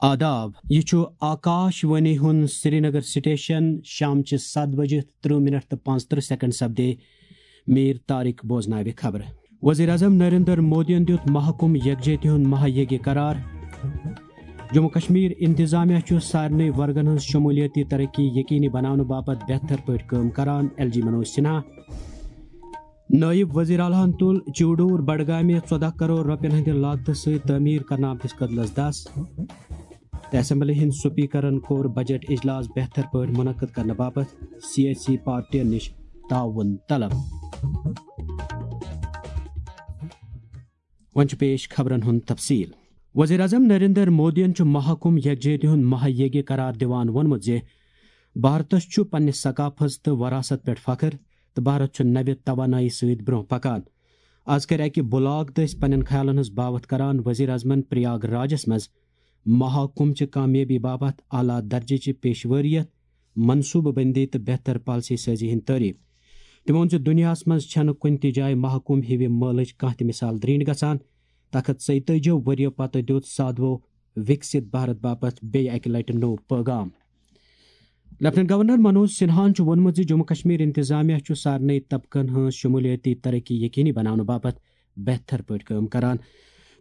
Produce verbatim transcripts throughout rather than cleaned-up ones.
آداب، یہِ چھُ آکاش وانی ہُنٛد سرینگر سٹیشن۔ شام چہِ ستھ بجہِ ترٕہ منٹ تہٕ پانٛژترٕہ سیکنڈ سپدے۔ میر طارق بوزناوِ خبرٕ۔ وزیر اعظم نریندر مودیَن دیُت محکم یکجہتی ہُنٛد مہا یگیہ قرار۔ جموں کشمیر انتظامیہ چھُ سارنٕے ورگن ہٕنٛز شمولیتی ترقی یقینی بناونہٕ باپتھ بہتر پٲٹھۍ کٲم کران، ایل جی منوج سنہا۔ نٲیِب وزیر اعلیٰ ہن تُل چوڈوٗر بڈگامہِ ژۄدہ کرور رۄپین ہٕنٛدِ لاگتہٕ سۭتۍ تعمیٖر کرنہٕ آمتِس کدلس دس۔ تہٕ اسمبلی ہٕنٛدۍ سپیکرن کوٚر بجٹ اجلاس بہتر پٲٹھۍ منعقد کرنہٕ باپتھ سیٲسی پارٹین نِش تعاون طلب۔ وۄنۍ چھُ پیش خبرن ہُنٛد تفصیل۔ وزیر اعظم نریندر مودیَن چھُ محکم یکجہتی ہُنٛد مہا یگیہ قرار دِوان ووٚنمُت زِ بھارتس چھُ پننہِ ثقافت تہٕ وراثت پٮ۪ٹھ فخر تہٕ بھارت چھُ نوِ توانٲیی سۭتۍ برٛونٛہہ پکان۔ از کَرِ اَکہِ بلاگ دٔسۍ پننٮ۪ن خیالن ہٕنٛز باوتھ کران وزیر اعظمن پریاگ راجس منٛز محکم چہِ کامیٲبی باپتھ اعلیٰ درجہٕ چہِ پیشوٲریت، منصوبہٕ بندی تہٕ بہتر پالیسی سازی ہٕنٛدۍ تعریف۔ تٔمۍ ووٚن زِ دُنیاہَس منٛز چھَنہٕ کُنہِ تہِ جایہِ محکم ہِوِ مٲلٕچ کانٛہہ تہِ مثال درینڈ گژھان۔ تخت ژۄیتٲجی ؤرِیو پتہٕ دیُت سادھوو وِکسِت بھارت باپتھ بیٚیہِ اَکہِ لٹہِ نوٚو پٲغام۔ لیفٹیننٹ گورنر منوج سنہاہن چھُ ووٚنمُت زِ جموں کشمیر انتظامیہ چھُ سارنٕے طبقن ہٕنٛز شمولیتی ترقی یقینی بناونہٕ باپتھ بہتر پٲٹھۍ کٲم کران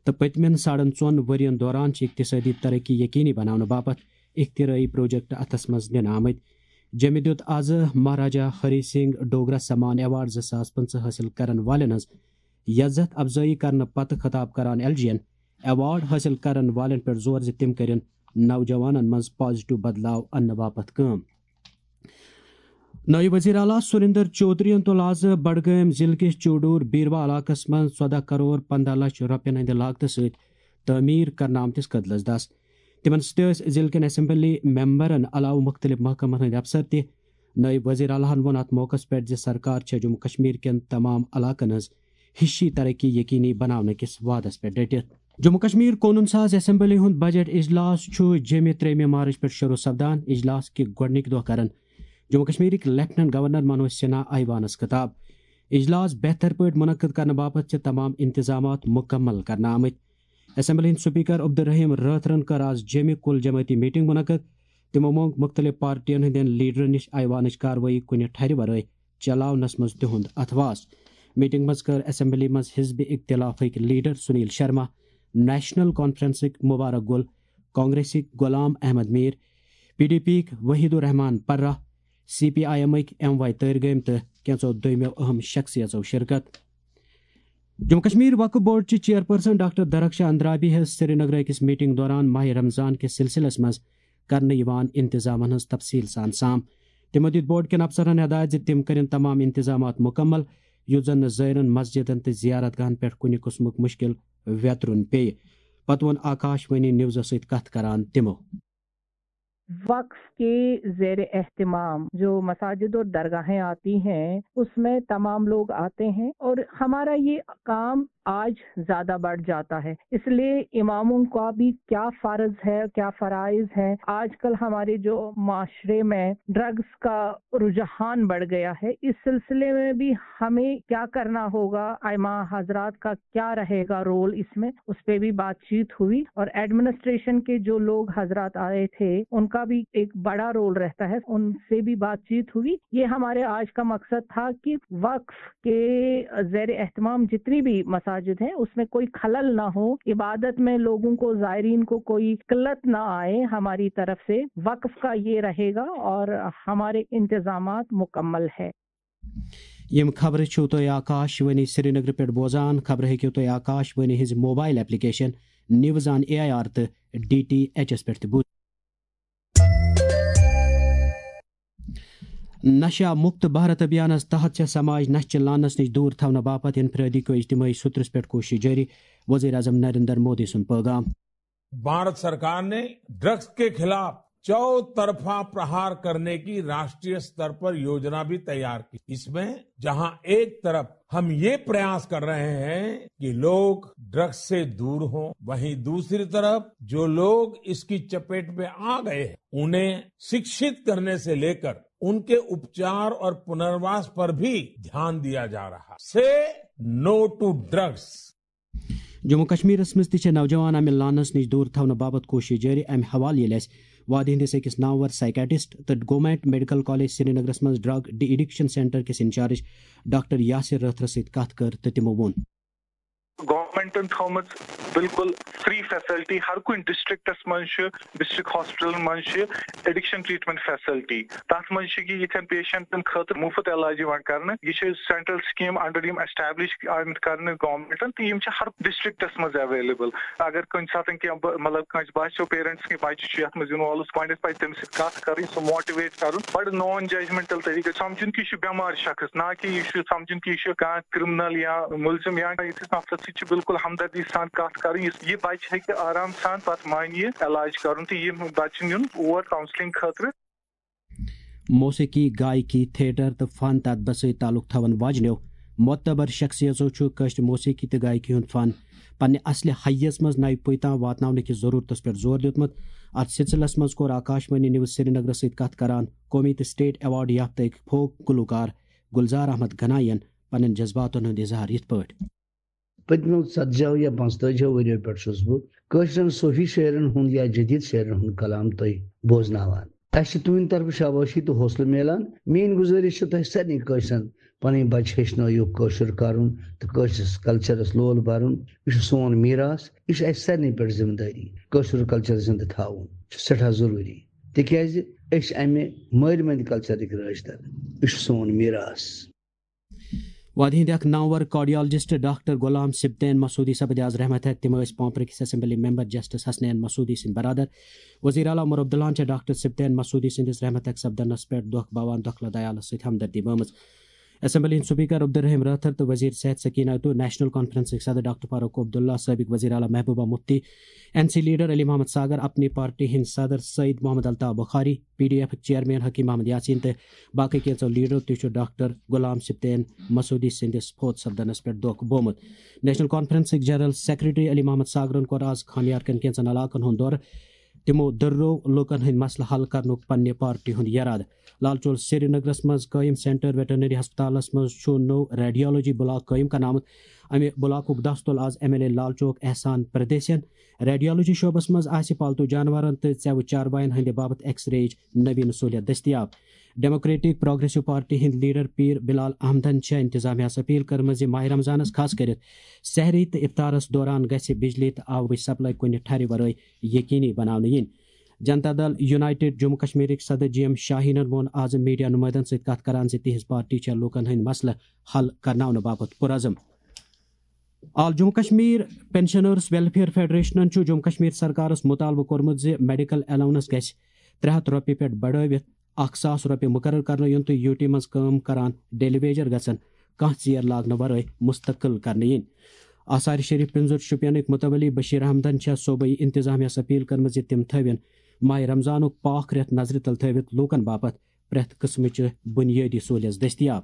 تہٕ پٔتمٮ۪ن ساڑن ژۄن ؤرین دوران چھِ اقتصٲدی ترقی یقینی بناونہٕ باپتھ اختراعی پروجیکٹ اتھس منٛز نِنہٕ آمٕتۍ۔ جیٚمہِ دیُت آز مہاراجا ہری سنگھ ڈوگرا سمان ایوارڈ زٕ ساس پٕنٛژٕہ حٲصِل کرن والٮ۪ن ہٕنٛز یزتھ افزٲیی کرنہٕ پتہٕ خطاب کران ایل جی ین ایوارڈ حٲصِل کرن والٮ۪ن پٮ۪ٹھ زور زِ تِم کٔرِن نوجوانن منٛز پازیٹیو بدلاو اننہٕ باپتھ کٲم۔ نٲیِب وزیر اعلیٰ سُریندر چودھرین تُل آز بڈگٲمۍ ضلعہٕ کِس چوڈوٗر بیٖروا علاقس منٛز ژۄدہ کرور پنٛداہ لچھ رۄپین ہٕنٛدِ لاگتہٕ سۭتۍ تعمیٖر کرنہٕ آمتِس کدلس دس۔ تِمن سۭتۍ ٲسۍ ضلعہٕ کٮ۪ن اسمبلی ممبرن علاوٕ مُختٔلِف محکمن ہٕنٛدۍ افسر تہِ۔ نٲیِب وزیر اعلیٰ ہن ووٚن اتھ موقعس پٮ۪ٹھ زِ سرکار چھےٚ جموں کشمیر کٮ۪ن تمام علاقن ہٕنٛز ہِشی ترقی یقینی بناونہٕ کِس وعدس پٮ۪ٹھ ڈٔٹِتھ۔ جموں کشمیر قونوٗن ساز اسمبلی ہُنٛد بجٹ اجلاس چھُ جیٚمہِ ترٛیٚیِمہِ مارچ پٮ۪ٹھ شروع سپدان۔ اجلاس کہِ گۄڈٕنِکۍ دۄہ کرن جموں کشمیرٕکۍ لیفٹیننٹ گورنر منوج سنہا ایوانس خطاب۔ اجلاس بہتر پٲٹھۍ منعقد کرنہٕ باپتھ چھِ تمام انتظامات مکمل کرنہٕ آمٕتۍ۔ اسمبلی ہٕنٛدۍ سپیکر عبدالرحیم رٲتھرن کٔر آز جیٚمہِ کُل جمٲعتی میٹنگ منعقد۔ تِمو مۄنگ مُختٔلِف پارٹین ہٕنٛدٮ۪ن لیڈرن نِش ایوانٕچ کاروٲیی کُنہِ ٹھرِ ورٲے چلاونس منٛز تِہُنٛد اتھواس۔ میٹنگ منٛز کٔر اسمبلی منٛز حزب اختلافٕکۍ لیڈر سنیل شرما، نیشنل کانفرنسٕکۍ مبارک گل، کانگریسٕکۍ غلام احمد میر، پی ڈی پیکۍ Waheed ur-Rehman Para, C P I ایمٕکۍ ایم وائی تٲرۍ گٲمۍ تہٕ کینٛژو دوٚیمٮ۪و اہم شخصیژو شرکت۔ جموں کشمیر وقف بورڈ چہِ چیئرپرسن ڈاکٹر درخشا اندرابی ہیٚژ سرینگرٕ أکِس میٹنگ دوران ماہ رمضان کِس سلسلس منٛز کرنہٕ یِوان انتظامن ہٕنٛز تفصیل سان سام۔ تِمو دِتۍ بورڈ کٮ۪ن افسرن ہدایت زِ تِم کرن تمام انتظامات مکمل، یُتھ زن نہٕ زٲیرن مسجدن تہٕ زیارت گاہن پٮ۪ٹھ کُنہِ قٕسمُک مشکل ویترُن پیٚیہِ۔ پتہٕ ووٚن آکاش وانی نیوزس سۭتۍ کتھ کران تِمو۔ وقف کے زیر اہتمام جو مساجد اور درگاہیں آتی ہیں، اس میں تمام لوگ آتے ہیں اور ہمارا یہ کام آج زیادہ بڑھ جاتا ہے۔ اس لیے اماموں کا بھی کیا فرض ہے، کیا فرائض ہے۔ آج کل ہمارے جو معاشرے میں ڈرگز کا رجحان بڑھ گیا ہے، اس سلسلے میں بھی ہمیں کیا کرنا ہوگا، ائمہ حضرات کا کیا رہے گا رول اس میں، اس پہ بھی بات چیت ہوئی اور ایڈمنسٹریشن کے جو لوگ حضرات آئے تھے، ان کا بھی ایک بڑا رول رہتا ہے، ان سے بھی بات چیت ہوئی۔ یہ ہمارے آج کا مقصد تھا کہ وقف کے زیر اہتمام جتنی بھی مساجد ہیں، اس میں کوئی خلل نہ ہو، عبادت میں لوگوں کو، زائرین کو کوئی قلت نہ آئے ہماری طرف سے۔ وقف کا یہ رہے گا اور ہمارے انتظامات مکمل ہے۔ یِم خبرٕ چھِو تُہۍ آکاش وانی سرینگرٕ پٮ۪ٹھ بوزان۔ خبرٕ ہیٚکِو تُہۍ آکاش وانی ہٕنٛزِ mobile application news on A I R تہٕ ڈی ٹی ایچ ایس پٮ۪ٹھ تہِ بوٗزِتھ۔ نشہ مکت بھارت ابھیانس تحت چھےٚ سماج نشہٕ چہِ لعنس نِش دوٗر تھاونہٕ باپتھ انفرادی کٲج اجتماعی سترس پٮ۪ٹھ کوٗشش جٲری، وزیر اعظم نریندر مودی سُنٛد پٲغام۔ भारत सरकार ने ड्रग्स के खिलाफ चौतरफा प्रहार करने की राष्ट्रीय स्तर पर योजना भी तैयार की। इसमें जहां एक तरफ हम ये प्रयास कर रहे हैं कि लोग ड्रग्स से दूर हों, वहीं दूसरी तरफ जो लोग इसकी चपेट में आ गए हैं, उन्हें शिक्षित करने से लेकर उनके उपचार और पुनर्वास पर भी ध्यान दिया जा रहा है। Say no to drugs। Jammu کشمیرس منٛز تہِ چھِ نوجوان امہِ لانس نِش دوٗر تھاونہٕ باپتھ کوٗشش جٲری۔ امہِ حوالہٕ ییٚلہِ اَسہِ وادی ہٕنٛدِس أکِس نامور سائیکیٹرسٹ تہٕ گورنمنٹ میڈیکل کالج سرینگرس منٛز ڈرگ ڈی ایڈکشن سینٹر کِس انچارج ڈاکٹر یاسر رٲتھرس سۭتۍ کتھ کٔر تہٕ تِمو ووٚن۔ گورنمنٹن تھٲومٕژ بالکل فری فیسلٹی ہر کُنہِ ڈسٹرکٹس منٛز چھُ، ڈسٹرکٹ ہاسپٹلن منٛز چھِ ایڈکشن ٹریٹمنٹ فیسلٹی۔ تتھ منٛز چھِ یہِ یِتھٮ۪ن پیشنٹن خٲطرٕ مفت علاج یِوان کرنہٕ۔ یہِ چھِ سینٹرل سکیٖم انڈر یِم ایسٹیبلش آمٕتۍ کرنہٕ گورنمنٹن، تہٕ یِم چھِ ہر ڈسٹرکٹس منٛز اویلیبل۔ اگر کُنہِ ساتہٕ کینٛہہ ب-، مطلب کٲنٛسہِ باسیو پیرنٹس کہِ بچہِ چھُ یتھ منٛز انوالو، گۄڈنیتھ پزِ تٔمِس سۭتۍ کتھ کرٕنۍ، سُہ موٹیویٹ کرُن، بڑٕ نان ججمنٹل طریقہٕ سمجھُن کہِ یہِ چھُ بٮ۪مار شخص، نہ کہِ یہِ چھُ سمجھُن کہِ یہِ چھُ کانٛہہ کرمنل یا مُلزِم یا یِتھِس نفرس سۭتۍ چھِ بالکل ہمدردی سان کتھ کرٕنۍ۔ یُس یہِ بچہِ ہیٚکہِ آرام سان پتہٕ مانہِ یہِ علاج کرُن تہٕ یہِ بچہِ نیُن اور کاونسلنگ خٲطرٕ۔ موسیقی، گائیکی، تھیٹر تہٕ فن تہٕ ادبس سۭتۍ تعلق تھاون واجنیو معتبر شخصیژو چھُ کٲشرِ موسیقی تہٕ گائیکی ہُنٛد فن پننہِ اصلہِ حییَس منٛز نوِ پُیہِ تام واتناونہٕ کِس ضروٗرتس پٮ۪ٹھ زور دیُتمُت۔ اتھ سلسلس منٛز کوٚر آکاش وانی نیوز سرینگرس سۭتۍ کتھ کران قومی تہٕ سٹیٹ ایوارڈ یافتہٕ أکۍ فوک گلوکار گلزار احمد گناین پننٮ۪ن جذباتن ہُنٛد اظہار یِتھ پٲٹھۍ۔ پٔتمیو ژتجیو یا پانٛژتٲجیو ؤریو پٮ۪ٹھ چھُس بہٕ کٲشرٮ۪ن صوفی شٲعرن ہُنٛد یا جدید شٲعرن ہُنٛد کلام تۄہہِ بوزناوان۔ اسہِ چھِ تُہنٛدِ طرفہٕ شابٲشی تہٕ حوصلہٕ میلان۔ میٲنۍ گُزٲرِش چھِ تۄہہِ سارنٕے کٲشرٮ۪ن، پنٕنۍ بچہِ ہیٚچھنٲیِو کٲشُر کرُن تہٕ کٲشرِس کلچرس لول برُن۔ یہِ چھُ سون میراث، یہِ چھُ اسہِ سارنٕے پٮ۪ٹھ ذمہٕ دٲری کٲشُر کلچر زندٕ تھاوُن۔ یہِ چھُ سٮ۪ٹھاہ ضروٗری، تِکیازِ أسۍ چھِ امہِ مٲرۍ مٔنٛدۍ کلچرٕکۍ رٲچھ در۔ یہِ چھُ سون میراث۔ وادی ہٕنٛدۍ اکھ نامور کارڈیالجسٹ ڈاکٹر غلام سبطین مسعودی سپدِ آز رحمت ہیتھ۔ تِم ٲسۍ پانپرٕ کِس assembly member justice Hasnain Masoodi سٕنٛدۍ برادر۔ وزیر اعلیٰ عمر عبداللہن چھےٚ ڈاکٹر سبطین مسعودی سٕنٛدِس رحمت ہیتھ سپدنس پٮ۪ٹھ دۄکھ باوان دۄکھلہٕ دیالس سۭتۍ ہمدردی بٲومٕژ۔ اسمبلی ہٕنٛدۍ سپیکر عبدالرحیم رٲتھر تہٕ وزیر صحت سکینہ تہٕ نیشنل کانفرنسٕکۍ صدر ڈاکٹر فاروق عبداللہ، سابق وزیر اعلیٰ Mehbooba Mufti, N C leader Ali Mohammad Sagar, Apni party ہٕنٛدۍ صدر Syed Mohammad Altaf Bukhari, P D F chairman Hakim Mohammad Yasin تہٕ باقٕے کینٛژو لیڈرو تہِ چھُ ڈاکٹر غلام سبطین مسعودی سٕنٛدِس فوت سپدنس پٮ۪ٹھ دۄکھ بومُت۔ نیشنل کانفرنسٕکۍ جنرل سیکرٹری علی محمد ساگرن کوٚر آز خانیار کٮ۪ن کینٛژن علاقن ہُنٛد دورٕ۔ تِمو دٔررو لوٗکن ہٕنٛدۍ مسلہٕ حل کرنُک پننہِ پارٹی ہُنٛد یرادٕ۔ لال چوک سرینگرس منٛز قٲیِم سینٹر ویٹرنری ہسپتالس منٛز چھُ نوٚو ریڈیالوجی بلاک قٲیِم کرنہٕ آمُت۔ امہِ بلاکُک دستہٕ تُل آز M L A Lal Chowk Ehsan پردیسین۔ ریڈیالوجی شعبس منٛز آسہِ پالتو جانورن تہٕ ژٮ۪وٕ چارواین ہٕنٛدِ باپتھ ایکس ریچ نویٖن سہولیت دٔستیاب۔ ڈیموکریٹک پروگریسو پارٹی ہٕنٛدۍ لیڈر پیٖر بلال احمدن چھےٚ انتظامیہس اپیل کٔرمٕژ زِ ماہ رمضانس، خاص کٔرِتھ سحری تہٕ افطارس دوران، گژھِ بجلی تہٕ آبٕچ سپلائی کُنہِ ٹھرِ ورٲے یقینی بناونہٕ یِنۍ۔ جنتا دل یونائیٹڈ جموں کشمیرٕکۍ صدر جی ایم شاہینن ووٚن آز میڈیا نمائندن سۭتۍ کتھ کران زِ تِہنٛز پارٹی چھےٚ لوٗکن ہٕنٛدۍ مسلہٕ حل کرناونہٕ باپتھ پُرعزم۔ آل جموں کشمیر پینشنرز ویلفیئر فیڈریشنن چھُ جموں کشمیر سرکارس مطالبہٕ کوٚرمُت زِ میڈیکل الاونس گژھِ ترٛےٚ ہتھ رۄپیہِ پٮ۪ٹھ بڑٲوِتھ اکھ ساس رۄپیہِ مقرر کرنہٕ یُن تہٕ یوٗ ٹی منٛز کٲم کران ڈیلی ویجر گژھن کانٛہہ ژیر لاگنہٕ ورٲے مستقل کرنہٕ یِنۍ۔ آثار شریف پِنزُر شُپینٕکۍ متولی بشیر احمدن چھےٚ صوبٲئی انتظامیہس اپیل کٔرمٕژ زِ تِم تھٲوِن ماہ رمضانُک پاک رٮ۪تھ نظرِ تل تھٲوِتھ لوٗکن باپتھ پرٛٮ۪تھ قٕسمٕچہِ بُنیٲدی سہوٗلیژ دٔستیاب۔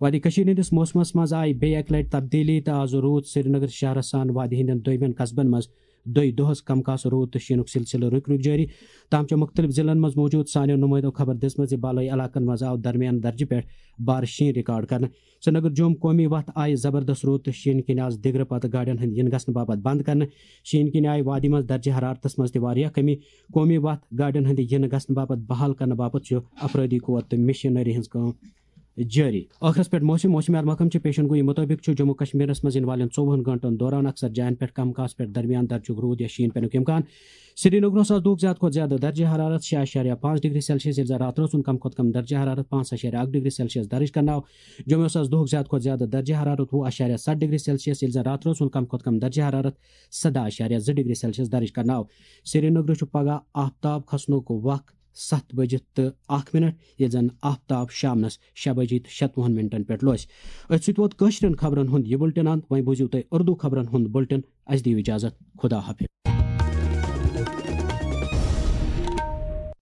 وادی کٔشیٖر ہٕنٛدِس موسمس منٛز آیہِ بیٚیہِ اَکہِ لٹہِ تبدیٖلی تہٕ آز روٗد سرینگر شہرس سان وادی ہٕنٛدٮ۪ن دوٚیمٮ۪ن قصبن منٛز دۄیہِ دۄہس کم کاس روٗد تہٕ شیٖنُک سلسلہٕ رُکۍ رُکۍ جٲری۔ تام چھےٚ مُختٔلِف ضلعن منٛز موٗجوٗد سانیو نُمٲیندو خبر دِژمٕژ زِ بالٲیی علاقن منٛز آو درمیان درجہٕ پٮ۪ٹھ بارٕ شیٖن ریکارڈ کرنہٕ۔ سرینگر جوم قومی وتھ آیہِ زبردست روٗد تہٕ شیٖنہٕ کِنۍ آز دِگرٕ پتہٕ گاڑٮ۪ن ہٕنٛدۍ یِنہٕ گژھنہٕ باپتھ بنٛد کرنہٕ۔ شیٖنہٕ کِنۍ آیہِ وادی منٛز درجہٕ حرارتس منٛز تہِ واریاہ کمی۔ قومی وتھ گاڑٮ۪ن ہٕنٛدِ یِنہٕ گژھنہٕ باپتھ بحال کرنہٕ باپتھ چھُ افرٲدی قوت تہٕ مشینری ہٕنٛز کٲم جٲری۔ ٲخرس پٮ۪ٹھ موسم۔ موسمیات محکمہٕ چہِ پیشن گویی مُطٲبِق چھُ جموں کشمیرس منٛز یِنہٕ والٮ۪ن ژوٚوُہن گٲنٛٹن دوران اکثر جاین پٮ۪ٹھ کم کاس پٮ۪ٹھ درمیان درجُک روٗد یا شیٖن پٮ۪نُک امکان۔ سرینگرس آز دۄہُک زیادٕ کھۄتہٕ زیادٕ درجہٕ حرارت شےٚ اعشاریہ پانٛژھ ڈگری سیلسیس، ییٚلہِ زن راتہٕ اوس کم کھۄتہٕ کم درجہٕ حرارت پانٛژھ اعشاریہ اکھ ڈگری سیلسیس درج کرنہٕ آو۔ جوٚمہِ اوس آز دۄہُک زیادٕ کھۄتہٕ زیادٕ درجہٕ حرارت وُہ اعشاریہ ستھ ڈگری سیلسیس، ییٚلہِ زن راتہٕ اوس کم کھۄتہٕ کم درجہٕ حرارت سداہ اعشاریہ زٕ ڈگری سیلسیس درج کرنہٕ آو۔ سرینگرس چھُ پگہہ آفتاب کھسنُک وق ستھ بجہِ تہٕ اکھ منٹ، ییٚلہِ زن آفتاب شامنس شےٚ بجہِ تہٕ شتوُہن منٹن پٮ۪ٹھ لوسہِ۔ أتھۍ سۭتۍ ووت کٲشرٮ۪ن خبرن ہُنٛد یہِ بُلٹن اند۔ وۄنۍ بوٗزِو تُہۍ اردو خبرن ہُنٛد بُلٹن۔ اسہِ دِیِو اجازت۔ خدا حافظ۔